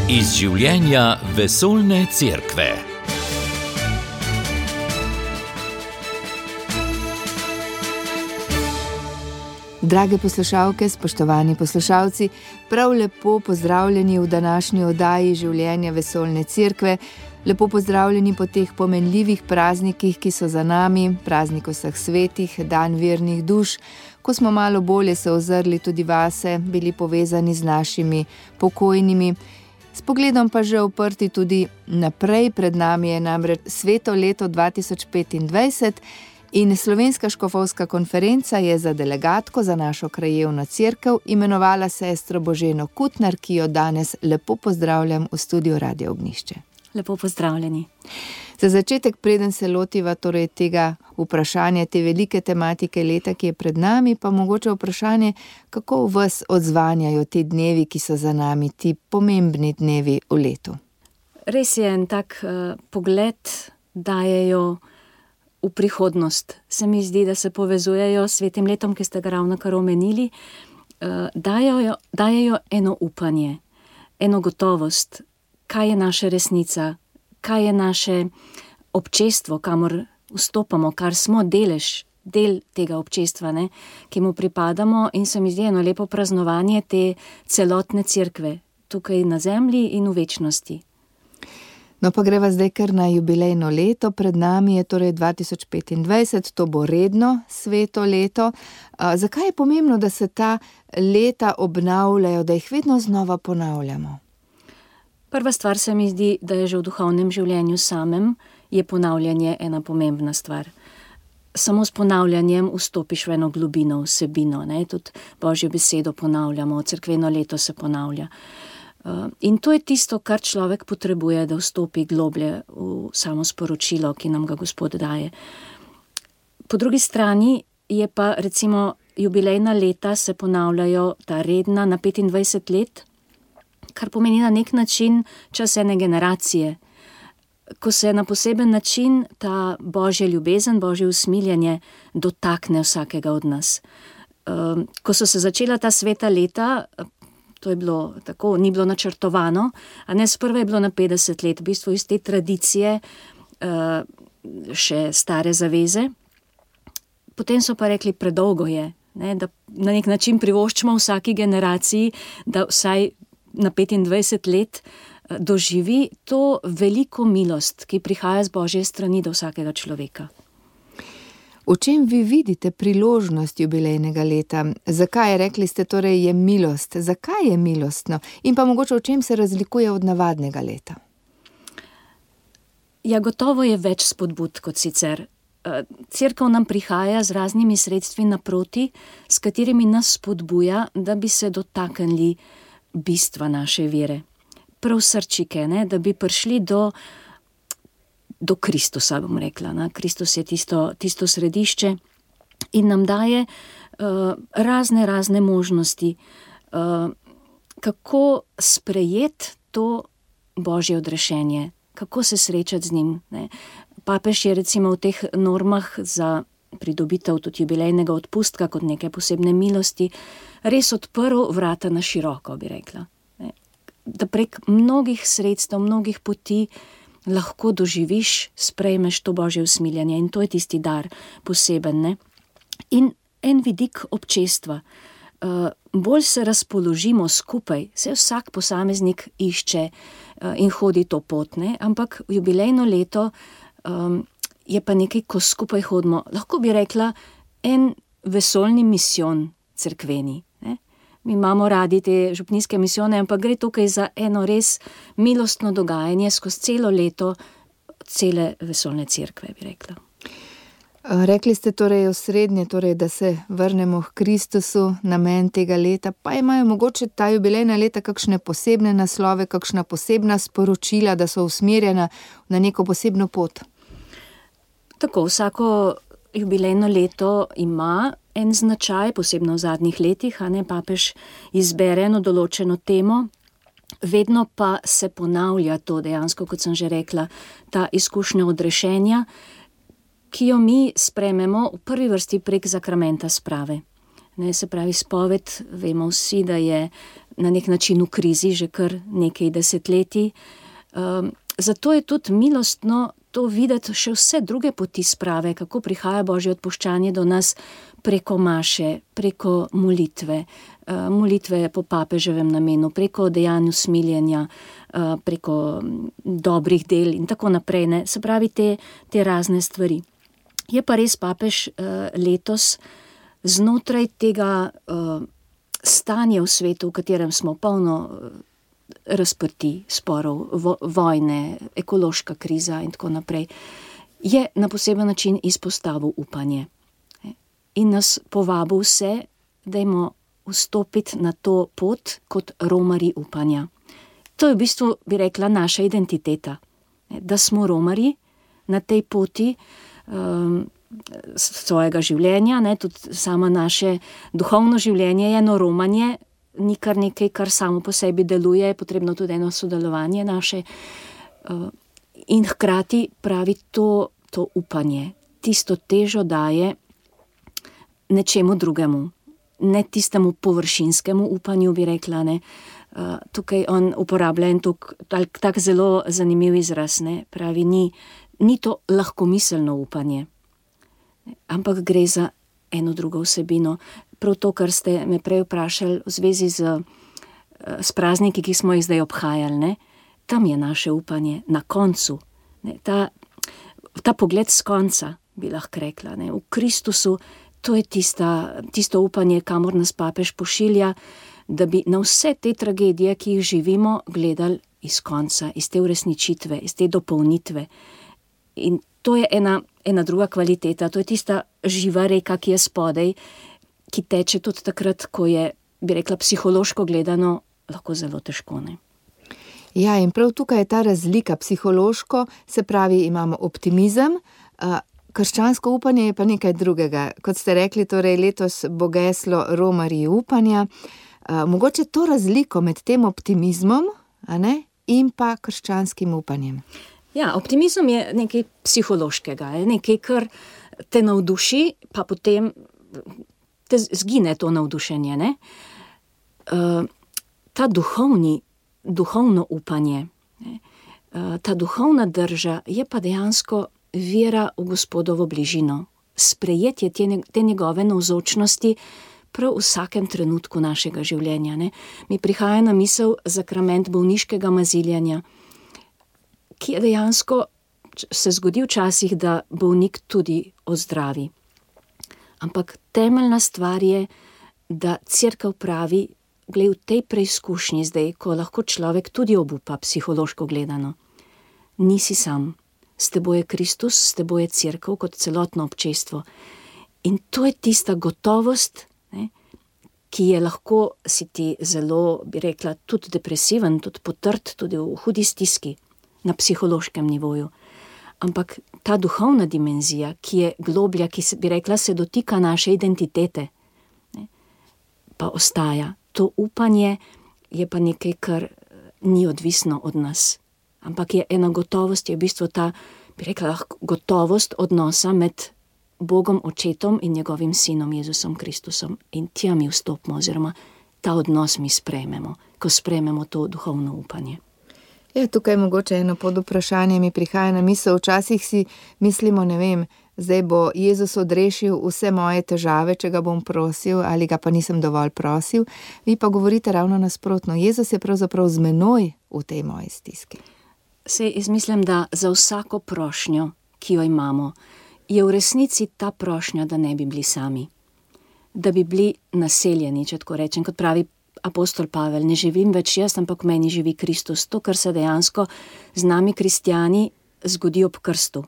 Iz življenja vesoljne cerkve. Drage poslušalke, spoštovani poslušalci, prav lepo pozdravljeni v današnji oddaji Življenja vesoljne cerkve. Lepo pozdravljeni po teh pomenljivih praznikih, ki so za nami, praznik vseh svetih, dan vernih duš, ko smo malo bolje se ozrli tudi vase, bili povezani z našimi pokojnimi, s pogledom pa že uprti tudi naprej. Pred nami je namreč sveto leto 2025 in Slovenska škofovska konferenca je za delegatko za našo krajevno cerkev imenovala sestro Boženo Kutnar, ki jo danes lepo pozdravljam v studiu Radio Ognjišče. Lepo pozdravljeni. Za začetek, preden se lotiva torej tega vprašanja, te velike tematike leta, ki je pred nami, pa mogoče vprašanje, kako vas odzvanjajo ti dnevi, ki so za nami, ti pomembni dnevi v letu? Res je, en tak pogled dajejo v prihodnost. Se mi zdi, da se povezujejo s svetim letom, ki ste ga ravnokar omenili, dajejo eno upanje, eno gotovost, kaj je naša resnica, kaj je naše občestvo, kamor vstopamo, kar smo del tega občestva, ne, ki mu pripadamo, in se mi zdi eno lepo praznovanje te celotne cerkve, tukaj na zemlji in v večnosti. No, pa greva zdaj kar na jubilejno leto, pred nami je torej 2025, to bo redno sveto leto. Zakaj je pomembno, da se ta leta obnavljajo, da jih vedno znova ponavljamo? Prva stvar se mi zdi, da je že v duhovnem življenju samem, je ponavljanje ena pomembna stvar. Samo s ponavljanjem vstopiš v eno globino, vsebino, ne? Tudi Božjo besedo ponavljamo, cerkveno leto se ponavlja. In to je tisto, kar človek potrebuje, da vstopi globlje v samo sporočilo, ki nam ga Gospod daje. Po drugi strani je pa recimo jubilejna leta se ponavljajo, ta redna na 25 let, kar pomeni na nek način čas ene generacije, ko se na poseben način ta Božja ljubezen, Božje usmiljenje dotakne vsakega od nas. Ko so se začela ta sveta leta, to je bilo tako, ni bilo načrtovano, a ne, sprva je bilo na 50 let, v bistvu iz te tradicije še stare zaveze. Potem so pa rekli, predolgo je, ne, da na nek način privoščimo vsaki generaciji, da vsaj na 25 let doživi to veliko milost, ki prihaja z Božje strani do vsakega človeka. V čem vi vidite priložnost jubilejnega leta? Zakaj, rekli ste, torej je milost? Zakaj je milostno? In pa mogoče v čem se razlikuje od navadnega leta? Ja, gotovo je več spodbud kot sicer. Cerkev nam prihaja z raznimi sredstvi naproti, s katerimi nas spodbuja, da bi se dotaknili bistva naše vere. Prav srčike, ne? Da bi prišli do Kristusa, bom rekla. Ne? Kristus je tisto središče in nam daje razne možnosti, kako sprejeti to Božje odrešenje, kako se srečati z njim. Ne? Papež je recimo v teh normah za pridobitev tudi jubilejnega odpustka kot neke posebne milosti res odprl vrata na široko, bi rekla. Ne? Da prek mnogih sredstev, mnogih poti lahko doživiš, sprejmeš to Božje usmiljenje, in to je tisti dar poseben. Ne? In en vidik občestva. Bolj se razpoložimo skupaj, se vsak posameznik išče in hodi to pot, ne? Ampak jubilejno leto je pa nekaj, ko skupaj hodimo. Lahko bi rekla, en vesoljni misijon cerkveni. Ne? Mi imamo radi te župnijske misijone, ampak gre tukaj za eno res milostno dogajanje skozi celo leto, cele vesoljne cerkve, bi rekla. Rekli ste torej osrednje, torej, da se vrnemo k Kristusu, namen tega leta, pa imajo mogoče ta jubilejna leta kakšne posebne naslove, kakšna posebna sporočila, da so usmerjena na neko posebno pot? Tako, vsako jubilejno leto ima en značaj, posebno v zadnjih letih, a ne, papež izbere eno določeno temo, vedno pa se ponavlja to dejansko, kot sem že rekla, ta izkušnja odrešenja, ki jo mi sprejmemo v prvi vrsti prek zakramenta sprave. Ne, se pravi, spoved, vemo vsi, da je na nek način v krizi že kar nekaj desetletij. Zato je tudi milostno to videti še vse druge poti sprave, kako prihaja Božje odpuščanje do nas preko maše, preko molitve, molitve po papeževem namenu, preko dejanju smiljenja, preko dobrih del in tako naprej, ne. Se pravi te razne stvari. Je pa res papež letos znotraj tega stanja v svetu, v katerem smo polno razprti sporov, vojne, ekološka kriza in tako naprej, je na poseben način izpostavil upanje. In nas povabil vse, dajmo vstopiti na to pot kot romarji upanja. To je v bistvu, bi rekla, naša identiteta. Da smo romarji na tej poti svojega življenja, ne, tudi samo naše duhovno življenje je eno romanje, ni kar nekaj, kar samo po sebi deluje, je potrebno tudi eno sodelovanje naše. In hkrati pravi to upanje, tisto težo daje nečemu drugemu, ne tistemu površinskemu upanju, bi rekla, ne. Tukaj on uporablja en tak zelo zanimiv izraz, ne. Pravi, ni to lahkomiselno upanje, ampak gre za eno drugo vsebino. Prav to, kar ste me prej vprašali v zvezi s prazniki, ki smo jih zdaj obhajali, ne, tam je naše upanje na koncu. Ne, ta pogled s konca, bi lahko rekla, ne, v Kristusu, to je tisto upanje, kamor nas papež pošilja, da bi na vse te tragedije, ki jih živimo, gledali iz konca, iz te uresničitve, iz te dopolnitve. In to je ena druga kvaliteta, to je tista živa reka, ki je spodaj, ki teče tudi takrat, ko je, bi rekla, psihološko gledano, lahko zelo težko, ne. Ja, in prav tukaj je ta razlika psihološko, se pravi, imamo optimizem, krščansko upanje je pa nekaj drugega. Kot ste rekli, torej letos bo geslo romarji upanja. Mogoče to razliko med tem optimizmom, a ne, in pa krščanskim upanjem. Ja, optimizem je nekaj psihološkega, nekaj, kar te navduši, pa potem te zgine to navdušenje, ne. Ta duhovno upanje, ne, ta duhovna drža je pa dejansko vera v Gospodovo bližino, sprejetje te njegove navzočnosti prav v vsakem trenutku našega življenja, ne. Mi prihaja na misel zakrament bolniškega maziljanja, ki je dejansko, se zgodi včasih, da bolnik tudi ozdravi. Ampak temeljna stvar je, da Cerkev pravi, glej, v tej preizkušnji zdaj, ko lahko človek tudi obupa psihološko gledano, nisi sam, s teboj je Kristus, s teboj je Cerkev kot celotno občestvo. In to je tista gotovost, ne, ki je lahko si ti zelo, bi rekla, tudi depresiven, tudi potrt, tudi v hudi stiski na psihološkem nivoju. Ampak ta duhovna dimenzija, ki je globlja, ki se, bi rekla, se dotika naše identitete, ne, pa ostaja. To upanje je pa nekaj, kar ni odvisno od nas. Ampak je ena gotovost, je v bistvu ta, bi rekla, gotovost odnosa med Bogom Očetom in njegovim sinom Jezusom Kristusom. In tja mi vstopimo, oziroma ta odnos mi sprejmemo, ko sprejmemo to duhovno upanje. Ja, tukaj mogoče eno podvprašanje mi prihaja na misel. Včasih si mislimo, ne vem, zdaj bo Jezus odrešil vse moje težave, če ga bom prosil, ali ga pa nisem dovolj prosil. Vi pa govorite ravno nasprotno. Jezus je pravzaprav z menoj v tej moji stiski. Sej jaz mislim, da za vsako prošnjo, ki jo imamo, je v resnici ta prošnja, da ne bi bili sami. Da bi bili naseljeni, če tako rečem, kot pravi apostol Pavel, ne živim več jaz, ampak v meni živi Kristus. To, kar se dejansko z nami kristjani zgodi ob krstu.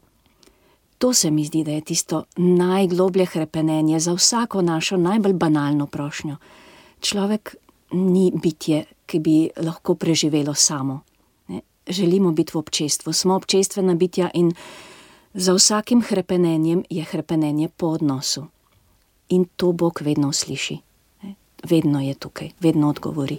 To se mi zdi, da je tisto najgloblje hrepenenje za vsako našo najbolj banalno prošnjo. Človek ni bitje, ki bi lahko preživelo samo. Ne? Želimo biti v občestvu, smo občestvena bitja in za vsakim hrepenenjem je hrepenenje po odnosu. In to Bog vedno usliši. Vedno je tukaj, vedno odgovori.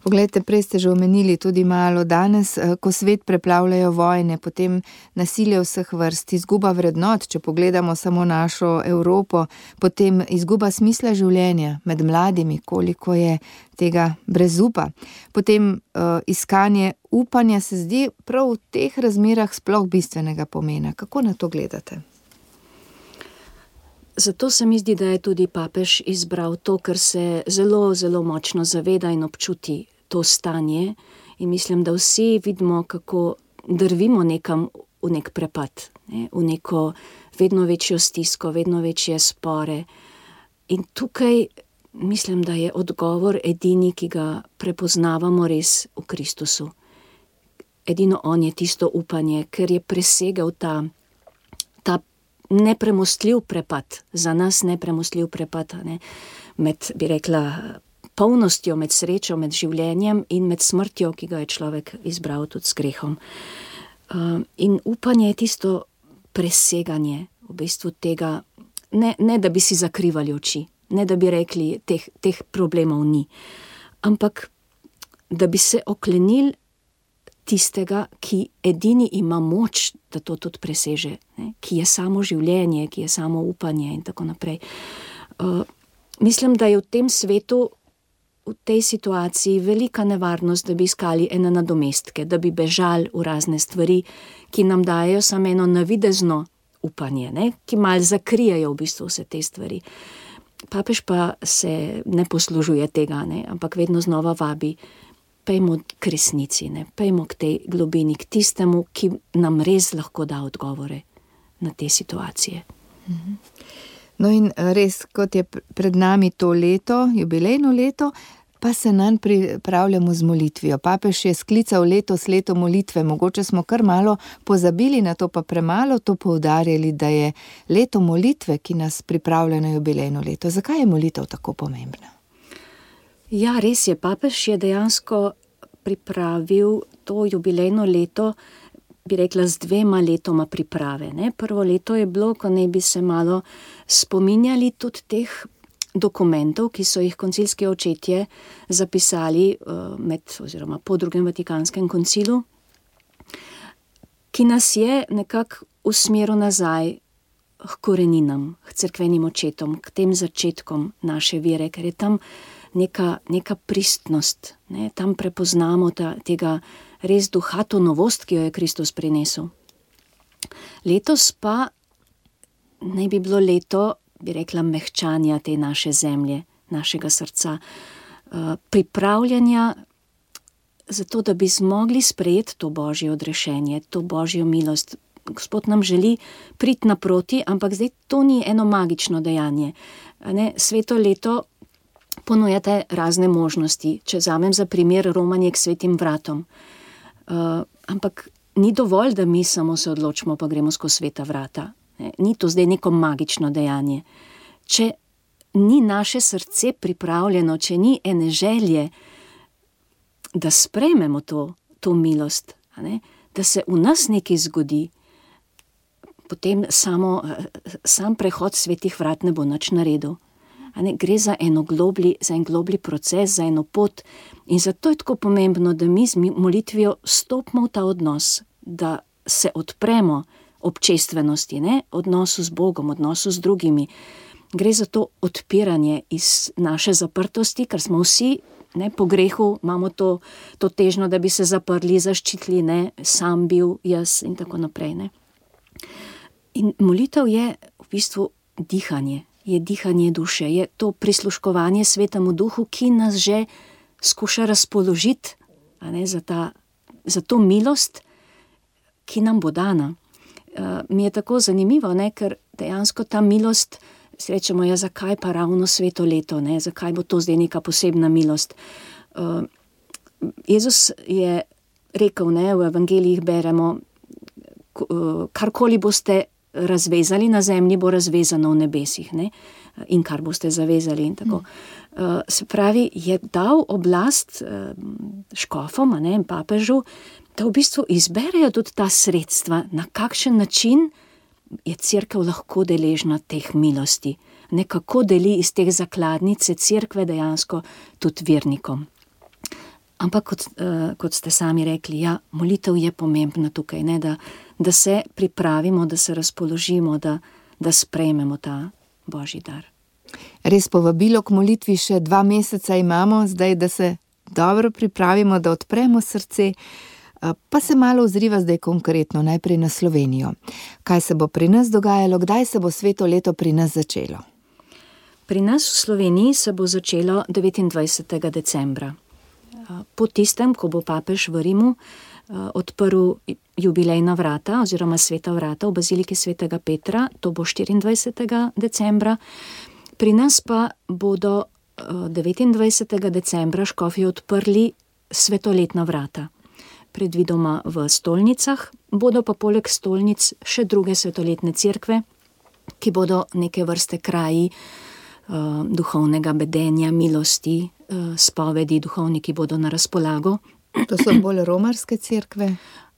Poglejte, prej ste že omenili tudi malo danes, ko svet preplavljajo vojne, potem nasilje vseh vrst, izguba vrednot, če pogledamo samo našo Evropo, potem izguba smisla življenja med mladimi, koliko je tega brezupa. Potem iskanje upanja se zdi prav v teh razmerah sploh bistvenega pomena. Kako na to gledate? Zato se mi zdi, da je tudi papež izbral to, ker se zelo, zelo močno zaveda in občuti to stanje in mislim, da vsi vidimo, kako drvimo nekam v nek prepad, v neko vedno večjo stisko, vedno večje spore. In tukaj mislim, da je odgovor edini, ki ga prepoznavamo res v Kristusu. Edino on je tisto upanje, ker je presegal ta nepremostljiv prepad, za nas nepremostljiv prepad, med, bi rekla, polnostjo, med srečo, med življenjem in med smrtjo, ki ga je človek izbral tudi s grehom. In upanje je tisto preseganje v bistvu tega, ne da bi si zakrivali oči, ne da bi rekli, teh problemov ni, ampak da bi se oklenili tistega, ki edini ima moč, da to tudi preseže, ki je samo življenje, ki je samo upanje in tako naprej. Mislim, da je v tem svetu, v tej situaciji velika nevarnost, da bi iskali ene nadomestke, da bi bežali v razne stvari, ki nam dajo samo eno navidezno upanje, ki malo zakrijejo v bistvu vse te stvari. Papež pa se ne poslužuje tega, ampak vedno znova vabi, pejmo k resnici, pejmo k tej globini, k tistemu, ki nam res lahko da odgovore na te situacije. No in res, kot je pred nami to leto, jubilejno leto, pa se nanj pripravljamo z molitvijo. Papež je sklical letos leto molitve, mogoče smo kar malo pozabili na to, pa premalo to poudarjali, da je leto molitve, ki nas pripravlja na jubilejno leto. Zakaj je molitev tako pomembna? Ja, res je, papež je dejansko pripravil to jubilejno leto, bi rekla, z 2 letoma priprave. Prvo leto je bilo, ko naj bi se malo spominjali tudi teh dokumentov, ki so jih koncilski očetje zapisali oziroma po drugem Vatikanskem koncilu, ki nas je nekako usmeril nazaj k koreninam, k cerkvenim očetom, k tem začetkom naše vere, ker je tam neka pristnost, tam prepoznamo tega res duha, to novost, ki jo je Kristus prinesel. Letos pa naj bi bilo leto, bi rekla, mehčanja te naše zemlje, našega srca, pripravljanja zato, da bi zmogli sprejeti to Božje odrešenje, to Božjo milost. Gospod nam želi priti naproti, ampak zdaj to ni eno magično dejanje. Sveto leto ponujate razne možnosti, če vzamem za primer romanje k svetim vratom. Ampak ni dovolj, da mi samo se odločimo, pa gremo skozi sveta vrata. Ni to zdaj neko magično dejanje. Če ni naše srce pripravljeno, če ni ene želje, da sprejmemo to milost, da se v nas nekaj zgodi, potem sam prehod svetih vrat ne bo nič naredil. Gre za en globli proces, za eno pot in zato je tako pomembno, da mi z molitvijo stopimo v ta odnos, da se odpremo občestvenosti, odnosu z Bogom, odnosu z drugimi. Gre za to odpiranje iz naše zaprtosti, ker smo vsi po grehu, imamo to težnjo, da bi se zaprli, zaščitili, sam bil, jaz in tako naprej. In molitev je v bistvu dihanje. Je dihanje duše, je to prisluškovanje Svetemu Duhu, ki nas že skuša razpoložiti za to milost, ki nam bo dana. Mi je tako zanimivo, ker dejansko ta milost, srečemo, zakaj pa ravno sveto leto, zakaj bo to zdaj neka posebna milost. Jezus je rekel, v evangelijih beremo, karkoli boste razvezali na zemlji, bo razvezano v nebesih, in kar boste zavezali in tako. Se pravi, je dal oblast škofom, papežu, da v bistvu izberejo tudi ta sredstva, na kakšen način je cerkev lahko deležna teh milosti, kako deli iz teh zakladnice cerkve dejansko tudi vernikom. Ampak kot ste sami rekli, ja, molitev je pomembna tukaj, ne, da se pripravimo, da se razpoložimo, da sprejmemo ta Božji dar. Res povabilo k molitvi še 2 meseca imamo, zdaj, da se dobro pripravimo, da odpremo srce, pa se malo ozriva zdaj konkretno, najprej na Slovenijo. Kaj se bo pri nas dogajalo, kdaj se bo sveto leto pri nas začelo? Pri nas v Sloveniji se bo začelo 29. decembra. Po tistem, ko bo papež v Rimu odprl jubilejna vrata oziroma sveta vrata v baziliki svetega Petra, to bo 24. decembra. Pri nas pa bodo 29. decembra škofje odprli svetoletna vrata. Predvidoma v stolnicah, bodo pa poleg stolnic še druge svetoletne cerkve, ki bodo neke vrste kraji duhovnega bedenja, milosti, spovedi, duhovniki bodo na razpolago. To so bolj romarske cerkve?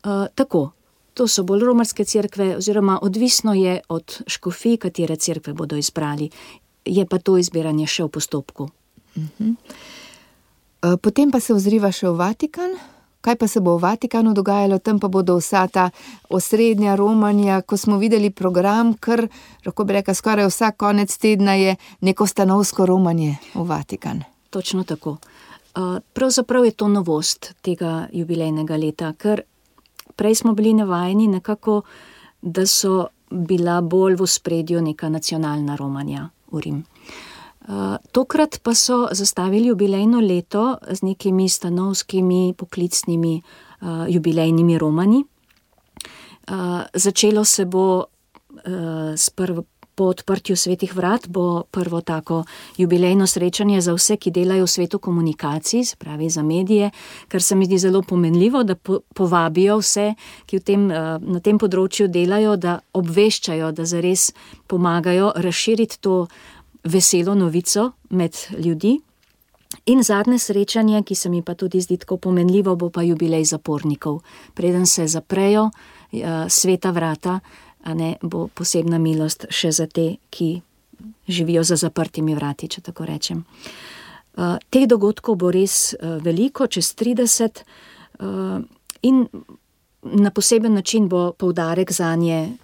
Tako, to so bolj romarske cerkve, oziroma odvisno je od škofij, katere cerkve bodo izbrali. Je pa to izbiranje še v postopku. Potem pa se ozriva še v Vatikan. Kaj pa se bo v Vatikanu dogajalo? Tam pa bodo vsa ta osrednja romanja, ko smo videli program, kar, lahko bi rekla, skoraj vsak konec tedna je neko stanovsko romanje v Vatikan. Točno tako. Pravzaprav je to novost tega jubilejnega leta, ker prej smo bili navajeni nekako, da so bila bolj v ospredju neka nacionalna romanja v Rim. Tokrat pa so zastavili jubilejno leto z nekimi stanovskimi, poklicnimi jubilejnimi romanji. Začelo se bo po odprtju svetih vrat, bo prvo tako jubilejno srečanje za vse, ki delajo v svetu komunikacij, se pravi za medije, kar se mi zdi zelo pomenljivo, da povabijo vse, ki na tem področju delajo, da obveščajo, da zares pomagajo razširiti to veselo novico med ljudi. In zadnje srečanje, ki se mi pa tudi zdi tako pomenljivo, bo pa jubilej zapornikov. Preden se zaprejo sveta vrata, bo posebna milost še za te, ki živijo za zaprtimi vrati, če tako rečem. Teh dogodkov bo res veliko, čez 30, in na poseben način bo poudarek zanje,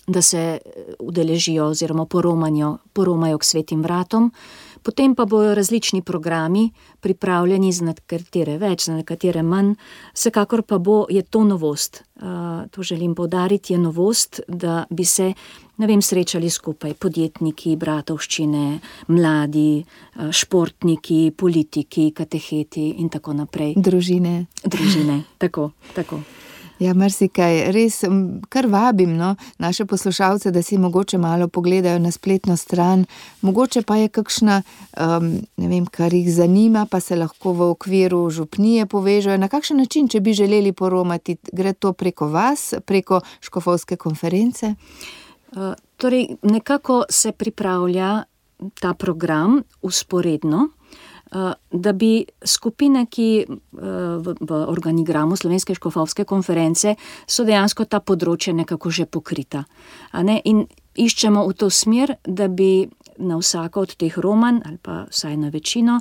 da se udeležijo oziroma poromajo k svetim vratom. Potem pa bojo različni programi pripravljeni za nekatere več, za nekatere manj. Vsekakor pa je to novost. To želim poudariti, je novost, da bi se, srečali skupaj podjetniki, bratovščine, mladi, športniki, politiki, kateheti in tako naprej. Družine, tako. Ja, marsikaj. Res kar vabim naše poslušalce, da si mogoče malo pogledajo na spletno stran. Mogoče pa je kakšna, kar jih zanima, pa se lahko v okviru župnije povežejo. Na kakšen način, če bi želeli poromati, gre to preko vas, preko škofovske konference? Torej, nekako se pripravlja ta program vzporedno, da bi skupine, ki v organigramu Slovenske škofovske konference so dejansko ta področje nekako že pokrita. In iščemo v to smer, da bi na vsako od teh romanj, ali pa vsaj na večino,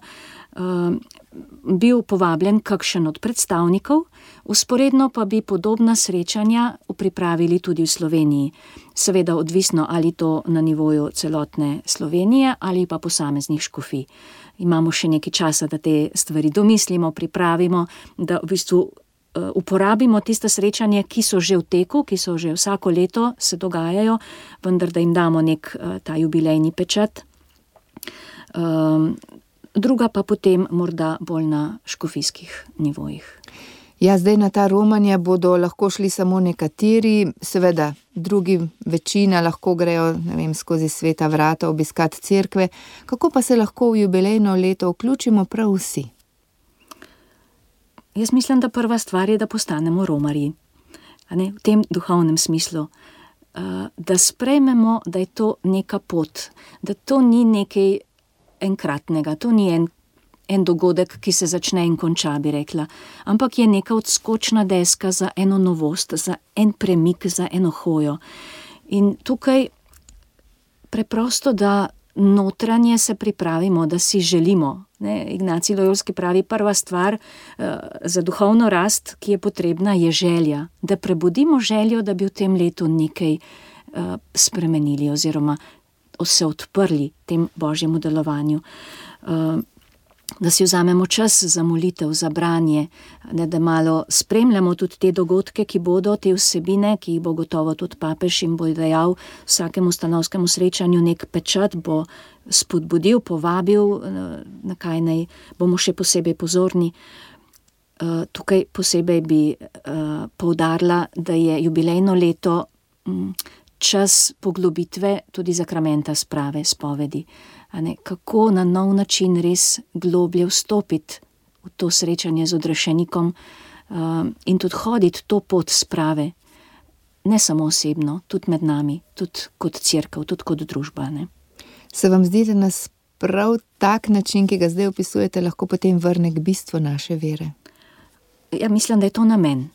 bil povabljen kakšen od predstavnikov, vzporedno pa bi podobna srečanja pripravili tudi v Sloveniji. Seveda odvisno, ali to na nivoju celotne Slovenije ali pa posameznih škofij. Imamo še nekaj časa, da te stvari domislimo, pripravimo, da v bistvu uporabimo tiste srečanja, ki so že v teku, ki so že vsako leto se dogajajo, vendar da jim damo nek ta jubilejni pečat. Druga pa potem morda bolj na škofijskih nivojih. Ja, zdaj na ta romanja bodo lahko šli samo nekateri, seveda drugi, večina lahko grejo, skozi sveta vrata obiskati cerkve. Kako pa se lahko v jubilejno leto vključimo prav vsi? Jaz mislim, da prva stvar je, da postanemo romarji. V tem duhovnem smislu. Da sprejmemo, da je to neka pot, da to ni nekaj enkratnega, to ni en dogodek, ki se začne in konča, bi rekla, ampak je neka odskočna deska za eno novost, za en premik, za eno hojo. In tukaj preprosto, da notranje se pripravimo, da si želimo. Ignacij Lojolski pravi, prva stvar za duhovno rast, ki je potrebna, je želja. Da prebudimo željo, da bi v tem letu nekaj spremenili oziroma se odprli tem božjemu delovanju. Da si vzamemo čas za molitev, za branje, da malo spremljamo tudi te dogodke, ki bodo, te vsebine, ki jih bo gotovo tudi papež in bo dejal vsakemu stanovskemu srečanju nek pečat, bo spodbudil, povabil, na kaj naj bomo še posebej pozorni. Tukaj posebej bi poudarila, da je jubilejno leto čas poglobitve tudi zakramenta sprave, spovedi. Kako na nov način res globlje vstopiti v to srečanje z odrešenikom in tudi hoditi to pot sprave, ne samo osebno, tudi med nami, tudi kot cerkev, tudi kot družba. Se vam zdi, da nas prav tak način, ki ga zdaj opisujete, lahko potem vrne k bistvu naše vere? Ja, mislim, da je to namen.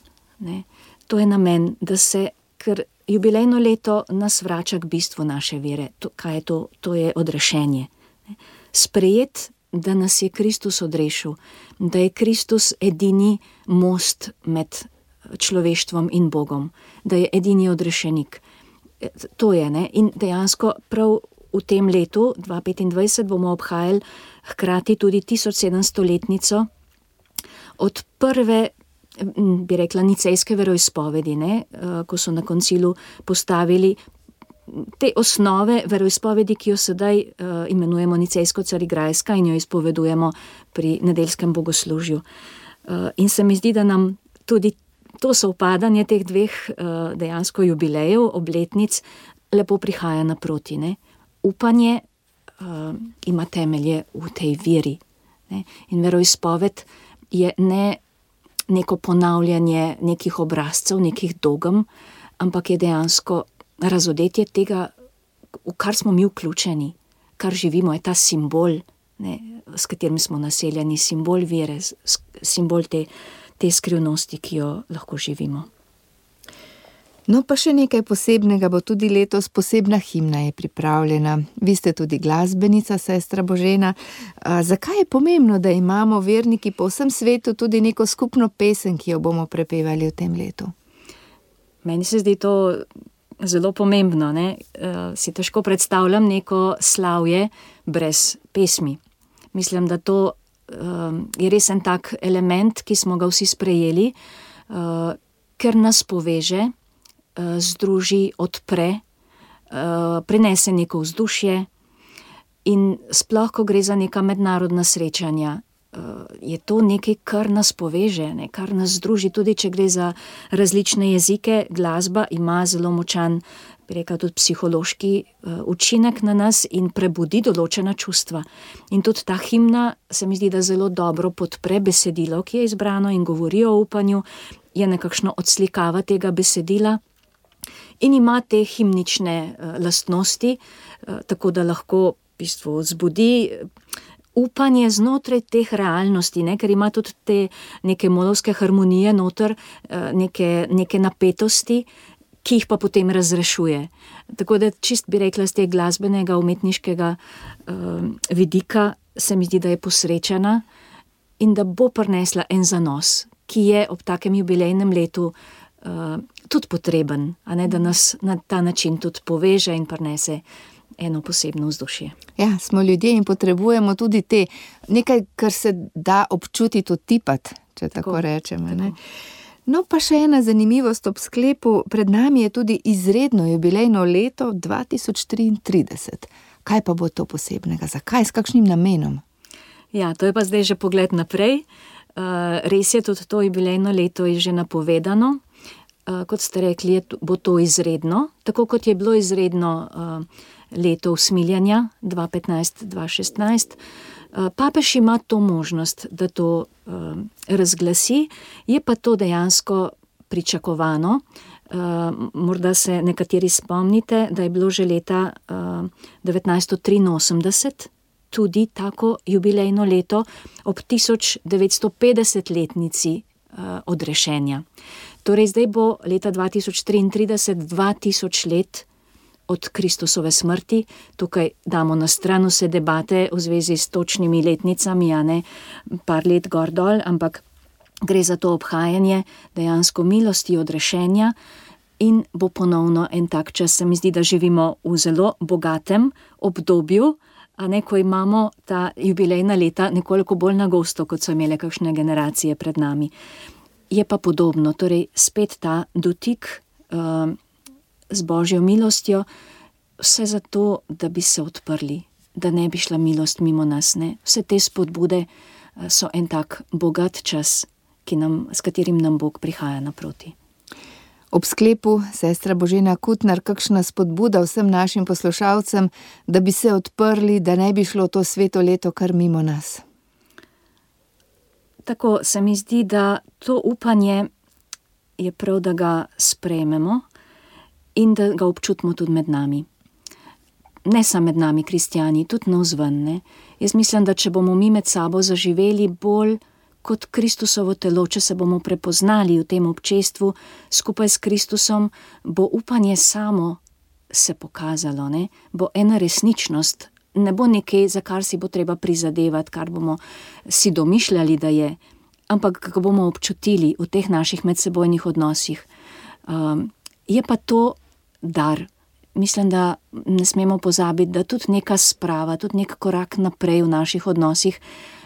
To je namen, da se, ker jubilejno leto nas vrača k bistvu naše vere. Kaj je to? To je odrešenje. Sprejet, da nas je Kristus odrešil, da je Kristus edini most med človeštvom in Bogom, da je edini odrešenik. To je, in dejansko prav v tem letu, 2025, bomo obhajali hkrati tudi 1700-letnico od prve, bi rekla, nicejske veroizpovedi, ko so na koncilu postavili te osnove veroizpovedi, ki jo sedaj imenujemo nicejsko-carigrajska in jo izpovedujemo pri nedeljskem bogoslužju. In se mi zdi, da nam tudi to sovpadanje teh dveh dejansko jubilejev, obletnic, lepo prihaja naproti. Upanje ima temelje v tej veri. In veroizpoved je ne neko ponavljanje nekih obrazcev, nekih dogem, ampak je dejansko razodetje tega, v kar smo mi vključeni, kar živimo, je ta simbol, s katerim smo naseljeni, simbol vere, simbol te skrivnosti, ki jo lahko živimo. No, pa še nekaj posebnega bo tudi letos, posebna himna je pripravljena. Vi ste tudi glasbenica, sestra Božena. Zakaj je pomembno, da imamo verniki po vsem svetu tudi neko skupno pesem, ki jo bomo prepevali v tem letu? Meni se zdi to zelo pomembno, si težko predstavljam neko slavje brez pesmi. Mislim, da to je res en tak element, ki smo ga vsi sprejeli, ker nas poveže, združi, odpre, prinese neko vzdušje in sploh, ko gre za neka mednarodna srečanja, je to nekaj, kar nas poveže, kar nas združi, tudi če gre za različne jezike. Glasba ima zelo močan, bi rekla, tudi psihološki učinek na nas in prebudi določena čustva. In tudi ta himna se mi zdi, da zelo dobro podpre besedilo, ki je izbrano in govori o upanju, je nekakšno odslikava tega besedila in ima te himnične lastnosti, tako da lahko v bistvu vzbudi upanje znotraj teh realnosti, ker ima tudi te neke molovske harmonije noter, neke napetosti, ki jih pa potem razrešuje. Tako da čist bi rekla z tega glasbenega, umetniškega vidika se mi zdi, da je posrečena in da bo prinesla en zanos, ki je ob takem jubilejnem letu tudi potreben, da nas na ta način tudi poveže in prinese eno posebno vzdušje. Ja, smo ljudje in potrebujemo tudi nekaj, kar se da občutiti, otipati, če tako rečemo. No, pa še ena zanimivost ob sklepu, pred nami je tudi izredno jubilejno leto 2033. Kaj pa bo to posebnega? Zakaj? S kakšnim namenom? Ja, to je pa zdaj že pogled naprej. Res je, tudi to jubilejno leto je že napovedano. Kot ste rekli, bo to izredno, tako kot je bilo izredno leto usmiljanja 2015-2016. Papež ima to možnost, da to razglasi, je pa to dejansko pričakovano. Morda se nekateri spomnite, da je bilo že leta 1983 tudi tako jubilejno leto ob 1950-letnici odrešenja. Torej zdaj bo leta 2033 2000 let od Kristusove smrti. Tukaj damo na stran vse debate v zvezi s točnimi letnicami, a ne par let gor dol, ampak gre za to obhajanje dejansko milosti odrešenja in bo ponovno en tak čas. Se mi zdi, da živimo v zelo bogatem obdobju, a ne, ko imamo ta jubilejna leta nekoliko bolj na gosto, kot so imele kakšne generacije pred nami. Je pa podobno, torej spet ta dotik z Božjo milostjo, vse zato, da bi se odprli, da ne bi šla milost mimo nas. Ne? Vse te spodbude so en tak bogat čas, s katerim nam Bog prihaja naproti. Ob sklepu, sestra Božena Kutnar, kakšna spodbuda vsem našim poslušalcem, da bi se odprli, da ne bi šlo to sveto leto kar mimo nas? Tako se mi zdi, da to upanje je prav, da ga sprejmemo in da ga občutimo tudi med nami. Ne samo med nami, kristjani, tudi navzven, ne. Jaz mislim, da če bomo mi med sabo zaživeli bolj kot Kristusovo telo, če se bomo prepoznali v tem občestvu skupaj s Kristusom, bo upanje samo se pokazalo, ne. Bo ena resničnost, ne bo nekaj, za kar si bo treba prizadevati, kar bomo si domišljali, da je, ampak kako bomo občutili v teh naših medsebojnih odnosih. Je pa to dar. Mislim, da ne smemo pozabiti, da tudi neka sprava, tudi nek korak naprej v naših odnosih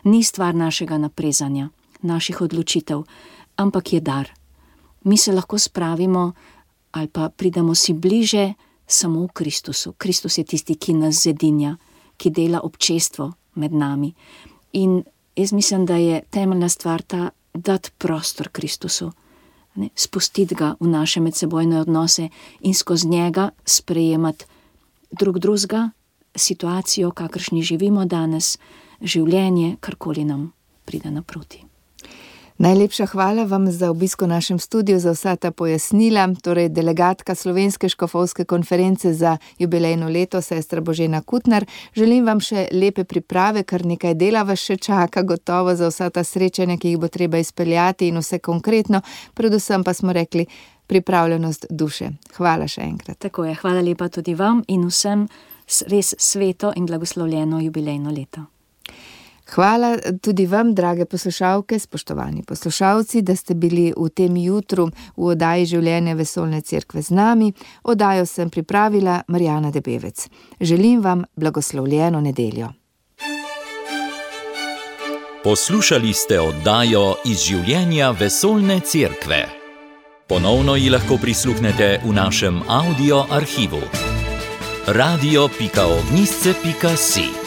ni stvar našega naprezanja, naših odločitev, ampak je dar. Mi se lahko spravimo ali pa pridemo si bliže samo v Kristusu. Kristus je tisti, ki nas zedinja, ki dela občestvo med nami. In jaz mislim, da je temeljna stvar ta, dati prostor Kristusu, ne, spustiti ga v naše medsebojne odnose in skozi njega sprejemati drugega, situacijo, kakršni živimo danes, življenje, karkoli nam pride naproti. Najlepša hvala vam za obisk v našem studiu, za vsa ta pojasnila. Torej, delegatka Slovenske škofovske konference za jubilejno leto, sestra Božena Kutnar. Želim vam še lepe priprave, kar nekaj dela vas še čaka, gotovo za vsa ta srečanja, ki jih bo treba izpeljati in vse konkretno. Predvsem pa smo rekli pripravljenost duše. Hvala še enkrat. Tako je, hvala lepa tudi vam in vsem res sveto in blagoslovljeno jubilejno leto. Hvala tudi vam, drage poslušalke, spoštovani poslušalci, da ste bili v tem jutru v oddaji Življenje vesoljne cerkve z nami. Oddajo sem pripravila Marjana Debevec. Želim vam blagoslovljeno nedeljo. Poslušali ste oddajo iz Življenja vesoljne cerkve. Ponovno ji lahko prisluhnete v našem audio arhivu. radio.ognisce.si